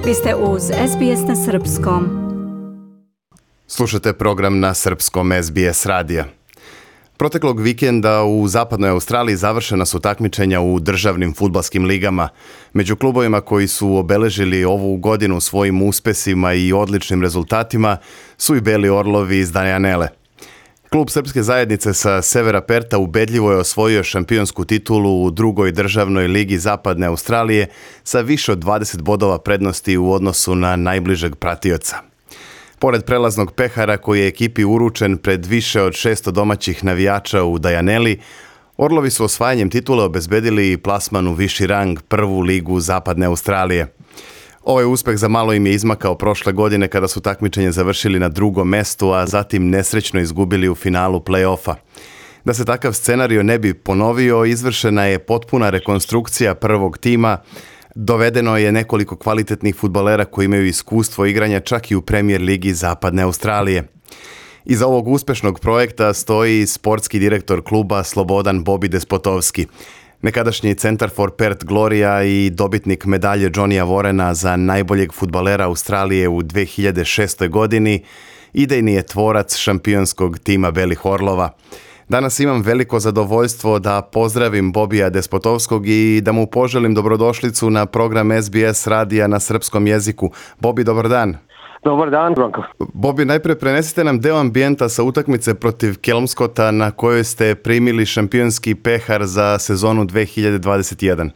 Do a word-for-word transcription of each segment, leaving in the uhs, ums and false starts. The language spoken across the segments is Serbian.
Vi ste uz S B S na srpskom. Slušate program na srpskom S B S radija. Proteklog vikenda u zapadnoj Australiji završena su takmičenja u državnim fudbalskim ligama. Među klubovima koji su obeležili ovu godinu svojim uspesima i odličnim rezultatima su i Beli Orlovi iz Dianele. Klub srpske zajednice sa severa Perta ubedljivo je osvojio šampionsku titulu u drugoj državnoj ligi zapadne Australije sa više od dvadeset bodova prednosti u odnosu na najbližeg pratioca. Pored prelaznog pehara koji je ekipi uručen pred više od šesto domaćih navijača u Dianeli, Orlovi su osvajanjem titule obezbedili plasman u viši rang prvu ligu zapadne Australije. Ovaj uspeh za malo im je izmakao prošle godine kada su takmičenje završili na drugom mestu, a zatim nesrećno izgubili u finalu play-offa. Da se takav scenario ne bi ponovio, izvršena je potpuna rekonstrukcija prvog tima. Dovedeno je nekoliko kvalitetnih fudbalera koji imaju iskustvo igranja čak i u Premier ligi zapadne Australije. Iza ovog uspešnog projekta stoji sportski direktor kluba Slobodan Bobi Despotovski. Nekadašnji Centar for Perth Gloria i dobitnik medalje Johnnyja Warrena za najboljeg fudbalera Australije u dve hiljade šestoj. godini, idejni je tvorac šampionskog tima Belih Orlova. Danas imam veliko zadovoljstvo da pozdravim Bobija Despotovskog i da mu poželim dobrodošlicu na program S B S radija na srpskom jeziku. Bobi, dobar dan. Dobar dan, Branko. Bobi, najpre prenesite nam deo ambijenta sa utakmice protiv Kelmscota na kojoj ste primili šampionski pehar za sezonu dve hiljade dvadeset jedan.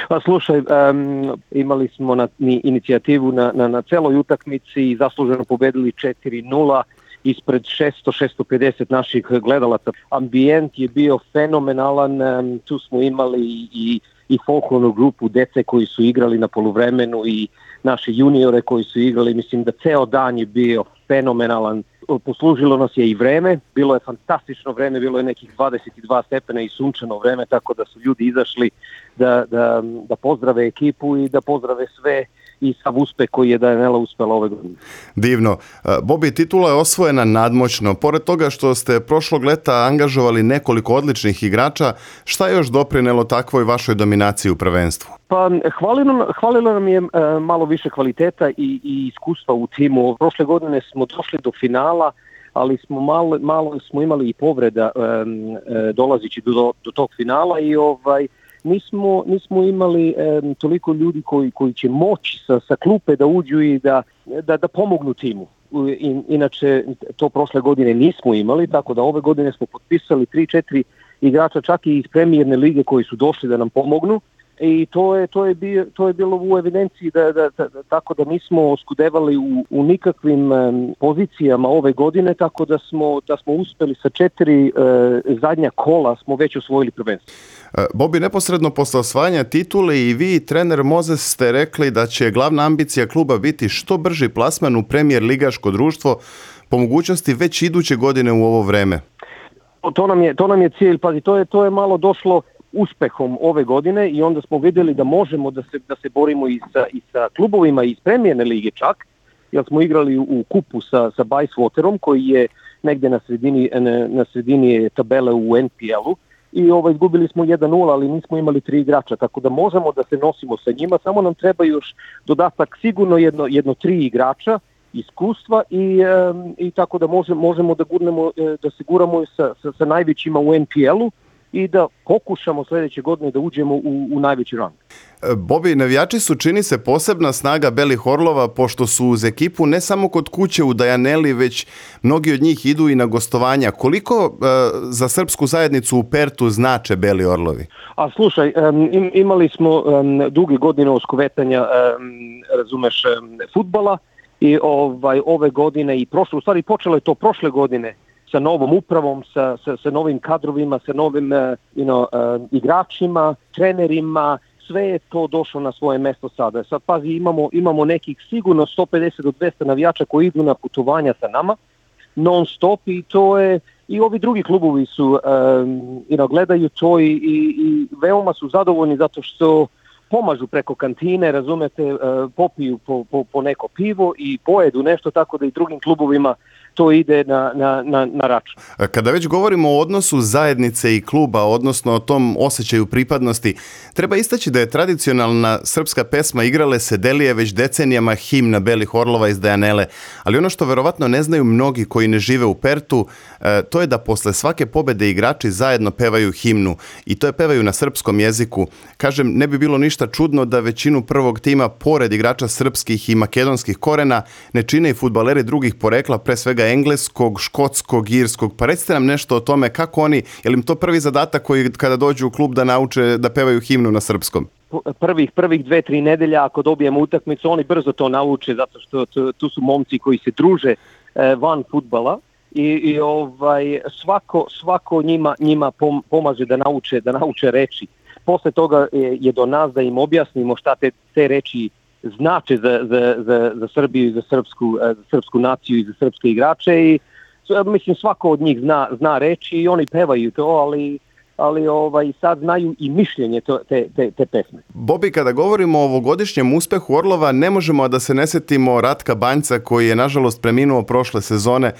Pa slušaj, um, imali smo na, inicijativu na, na, na celoj utakmici i zasluženo pobedili četiri nula ispred šesto do šesto pedeset naših gledalaca. Ambijent je bio fenomenalan, um, tu smo imali i, i folklornu grupu dece koji su igrali na poluvremenu i naše juniore koji su igrali. Mislim da ceo dan je bio fenomenalan. Poslužilo nas je i vreme, bilo je fantastično vreme, bilo je nekih dvadeset dva stepena i sunčano vreme, tako da su ljudi izašli da, da, da pozdrave ekipu i da pozdrave sve i sav uspeh koji je Dianela uspela ove godine. Divno. Bobi, titula je osvojena nadmoćno. Pored toga što ste prošlog leta angažovali nekoliko odličnih igrača, šta je još doprinelo takvoj vašoj dominaciji u prvenstvu? Pa hvalilo, hvalilo nam je e, malo više kvaliteta i, i iskustva u timu. Prošle godine smo došli do finala, ali smo malo, malo smo imali i povreda e, e, dolazići do, do tog finala i ovaj Nismo, nismo imali e, toliko ljudi koji, koji će moći sa, sa klupe da uđu i da, da, da pomognu timu. In, inače, to prošle godine nismo imali, tako da ove godine smo potpisali tri četiri igrača čak i iz premijerne lige koji su došli da nam pomognu. I to je, to je, bio, to je bilo u evidenciji da, da, da, da, tako da nismo oskudevali u, u nikakvim um, pozicijama ove godine, tako da smo, da smo uspeli sa četiri uh, zadnja kola smo već osvojili prvenstvo. Bobi, neposredno posle osvajanja titule i vi i trener Mozes ste rekli da će glavna ambicija kluba biti što brži plasman u Premier ligaško društvo, po mogućnosti već iduće godine u ovo vreme. To nam je, to nam je cilj, pazi, to je, to je malo došlo uspehom ove godine i onda smo vidjeli da možemo da se, da se borimo i sa, i sa klubovima iz premijerne lige čak, jer smo igrali u kupu sa, sa Bayswaterom koji je negdje na sredini, na, na sredini tabele u N P L-u i ovaj, izgubili smo jedan nula, ali nismo imali tri igrača, tako da možemo da se nosimo sa njima, samo nam treba još dodatak sigurno jedno, jedno tri igrača, iskustva i, um, i tako da možemo, možemo da, gurnemo, da se guramo sa, sa, sa najvećima u N P L-u i da pokušamo sljedeće godine da uđemo u, u najveći rang. Bobi, navijači su, čini se, posebna snaga Belih Orlova, pošto su uz ekipu ne samo kod kuće u Dianeli, već mnogi od njih idu i na gostovanja. Koliko uh, za srpsku zajednicu u Pertu znače Beli Orlovi? A slušaj, um, imali smo um, duge godine oskovetanja, um, razumeš, um, fudbala i ovaj, ove godine i prošle, u stvari počelo je to prošle godine, sa novom upravom, sa, sa, sa novim kadrovima, sa novim uh, you know, uh, igračima, trenerima, sve je to došlo na svoje mesto sada. Sad pazi, imamo, imamo nekih sigurno sto pedeset do dvesta navijača koji idu na putovanja sa nama, non stop i to je, i ovi drugi klubovi su, um, you know, gledaju to i, i, i veoma su zadovoljni zato što pomažu preko kantine, razumete, uh, popiju po, po, po neko pivo i pojedu nešto, tako da i drugim klubovima to ide na, na, na, na račun. Kada već govorimo o odnosu zajednice i kluba, odnosno o tom osjećaju pripadnosti, treba istaći da je tradicionalna srpska pesma Igrale se Delije već decenijama himna Belih orlova iz Dejanele, ali ono što verovatno ne znaju mnogi koji ne žive u Pertu, to je da posle svake pobede igrači zajedno pevaju himnu i to je pevaju na srpskom jeziku. Kažem, ne bi bilo ništa čudno da većinu prvog tima, pored igrača srpskih i makedonskih korena, ne čine i fudbaleri drugih porekla, pre svega engleskog, škotskog, irskog. Pa recite nam nešto o tome kako oni, je li im to prvi zadatak koji kada dođu u klub da nauče da pevaju himnu na srpskom? Prvih, prvih dve, tri nedelja ako dobijemo utakmicu, oni brzo to nauče zato što tu, tu su momci koji se druže eh, van fudbala i, i ovaj, svako, svako njima, njima pom, pomaže da nauče, da nauče reči. Posle toga je, je do nas da im objasnimo šta te, te reči znače za, za, za, za Srbiju, za srpsku, za srpsku naciju i za srpske igrače i mislim svako od njih zna, zna reči i oni pevaju to, ali ali ovaj, sad znaju i mišljenje to, te, te, te pesme. Bobi, kada govorimo o ovogodišnjem uspehu Orlova, ne možemo da se ne setimo Ratka Banjca koji je nažalost preminuo prošle sezone.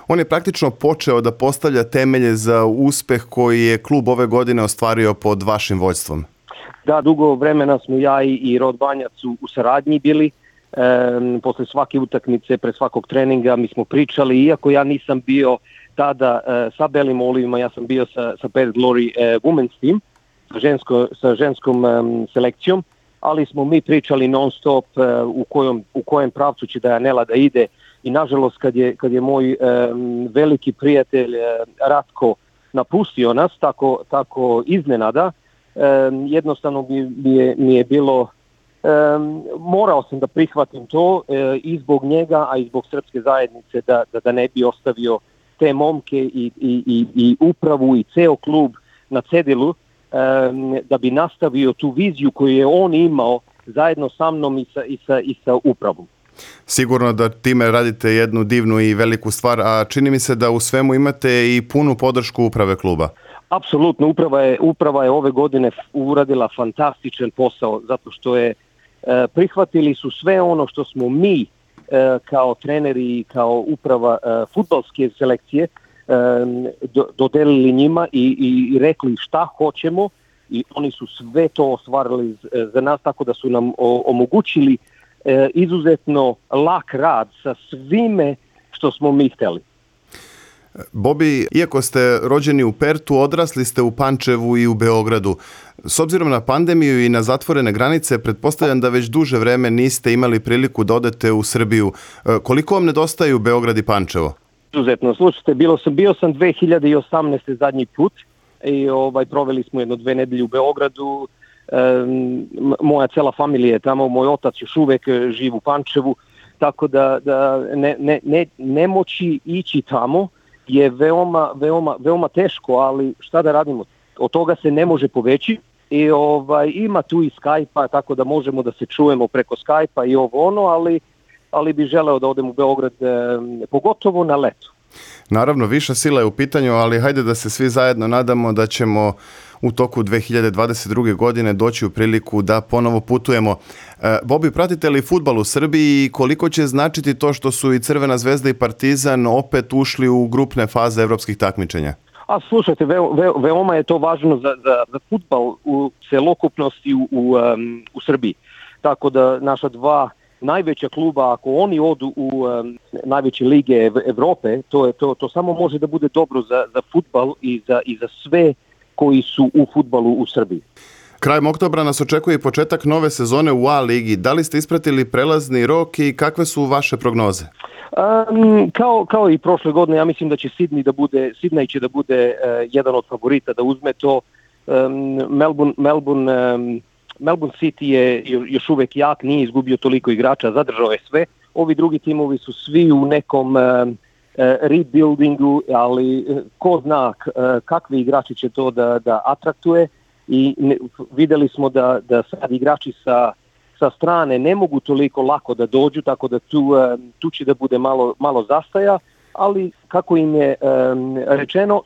On je praktično počeo da postavlja temelje za uspeh koji je klub ove godine ostvario pod vašim vođstvom. Da, dugo vremena smo ja i, i Rod Banjac u, u saradnji bili. E, posle svake utakmice, pre svakog treninga mi smo pričali, iako ja nisam bio tada e, sa Belim Olivima, ja sam bio sa, sa Perth Glory e, Women's Team, sa, žensko, sa ženskom e, selekcijom, ali smo mi pričali non stop e, u, kojom, u kojem pravcu će Dejanela da ide i nažalost kad je, kad je moj e, veliki prijatelj e, Ratko napustio nas, tako, tako iznenada, e, jednostavno mi, mi, je, mi je bilo, e, morao sam da prihvatim to e, i zbog njega, a i zbog srpske zajednice da, da, da ne bi ostavio te momke i, i, i, i upravu i ceo klub na cedilu um, da bi nastavio tu viziju koju je on imao zajedno sa mnom i sa, i sa, i sa upravom. Sigurno da time radite jednu divnu i veliku stvar, a čini mi se da u svemu imate i punu podršku uprave kluba. Apsolutno, uprava je, uprava je ove godine uradila fantastičan posao zato što je uh, prihvatili su sve ono što smo mi kao treneri i kao uprava uh, fudbalske selekcije um, do, dodelili njima i, i rekli šta hoćemo i oni su sve to ostvarili z, za nas tako da su nam o, omogućili uh, izuzetno lak rad sa svime što smo mi hteli. Bobi, iako ste rođeni u Pertu, odrasli ste u Pančevu i u Beogradu. S obzirom na pandemiju i na zatvorene granice, pretpostavljam da već duže vreme niste imali priliku da odete u Srbiju. Koliko vam nedostaju Beograd i Pančevo? Izuzetno, slušajte, bilo sam, bio sam dve hiljade osamnaeste zadnji put i ovaj, proveli smo jedno dve nedelje u Beogradu. E, moja cela familija je tamo, moj otac još uvek živi u Pančevu, tako da, da ne, ne, ne, ne moći ići tamo je veoma, veoma, veoma teško, ali šta da radimo? Od toga se ne može poveći i ovaj, ima tu i Skype-a, tako da možemo da se čujemo preko Skype-a i ovo ono, ali, ali bi želeo da odem u Beograd, eh, pogotovo na leto. Naravno, viša sila je u pitanju, ali hajde da se svi zajedno nadamo da ćemo u toku dve hiljade dvadeset druge. godine doći u priliku da ponovo putujemo. E, Bobi, pratite li fudbal u Srbiji i koliko će značiti to što su i Crvena zvezda i Partizan opet ušli u grupne faze evropskih takmičenja? A slušajte, ve, ve, veoma je to važno za, za, za fudbal u celokupnosti u, u, um, u Srbiji. Tako da naša dva najveća kluba, ako oni odu u um, najveće lige Evrope, to, je, to, to samo može da bude dobro za, za fudbal i za, i za sve koji su u fudbalu u Srbiji. Krajem oktobra nas očekuje početak nove sezone u A ligi. Da li ste ispratili prelazni rok i kakve su vaše prognoze? Um, kao, kao i prošle godine, ja mislim da će Sydney da bude, Sydney će da bude uh, jedan od favorita da uzme to. Um, Melbourne, Melbourne, um, Melbourne City je još uvek jak, nije izgubio toliko igrača, zadržao je sve. Ovi drugi timovi su svi u nekom um, rebuildingu, ali ko zna kakvi igrači će to da, da atraktuje i ne, videli smo da, da sad igrači sa, sa strane ne mogu toliko lako da dođu, tako da tu, tu će da bude malo, malo zastaja, ali kako im je um, rečeno,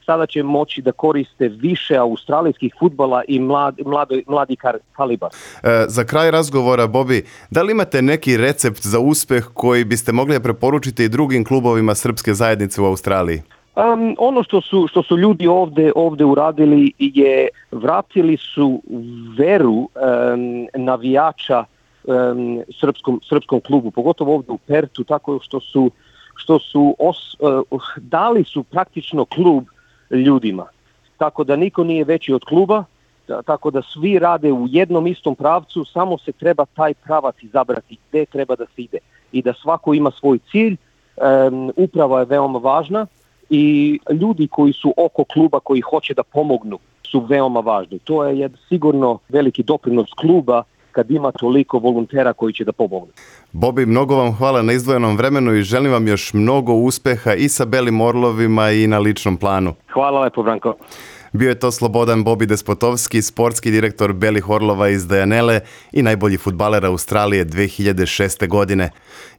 sada će moći da koriste više australijskih fudbala i mlad, mladi, mladi kalibar. E, za kraj razgovora, Bobi, da li imate neki recept za uspeh koji biste mogli preporučiti i drugim klubovima srpske zajednice u Australiji? Um, ono što su, što su ljudi ovdje, ovdje uradili je vratili su veru um, navijača um, srpskom, srpskom klubu, pogotovo ovdje u Pertu, tako što su, što su os, uh, dali su praktično klub ljudima. Tako da niko nije veći od kluba, tako da svi rade u jednom istom pravcu, samo se treba taj pravac izabrati gdje treba da se ide i da svako ima svoj cilj. Um, uprava je veoma važna i ljudi koji su oko kluba, koji hoće da pomognu, su veoma važni. To je sigurno veliki doprinos kluba kad ima toliko volontera koji će da pomognu. Bobi, mnogo vam hvala na izdvojenom vremenu i želim vam još mnogo uspeha i sa Belim Orlovima i na ličnom planu. Hvala lepo, Branko. Bio je to Slobodan Bobi Despotovski, sportski direktor Belih Orlova iz Dajanele i najbolji fudbaler Australije dve hiljade šeste. godine.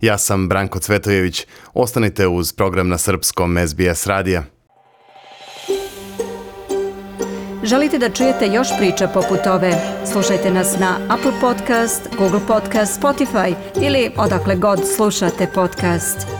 Ja sam Branko Cvetojević. Ostanite uz program na srpskom S B S radija. Želite da čujete još priča poput ove? Slušajte nas na Apple Podcast, Google Podcast, Spotify ili odakle god slušate podcast.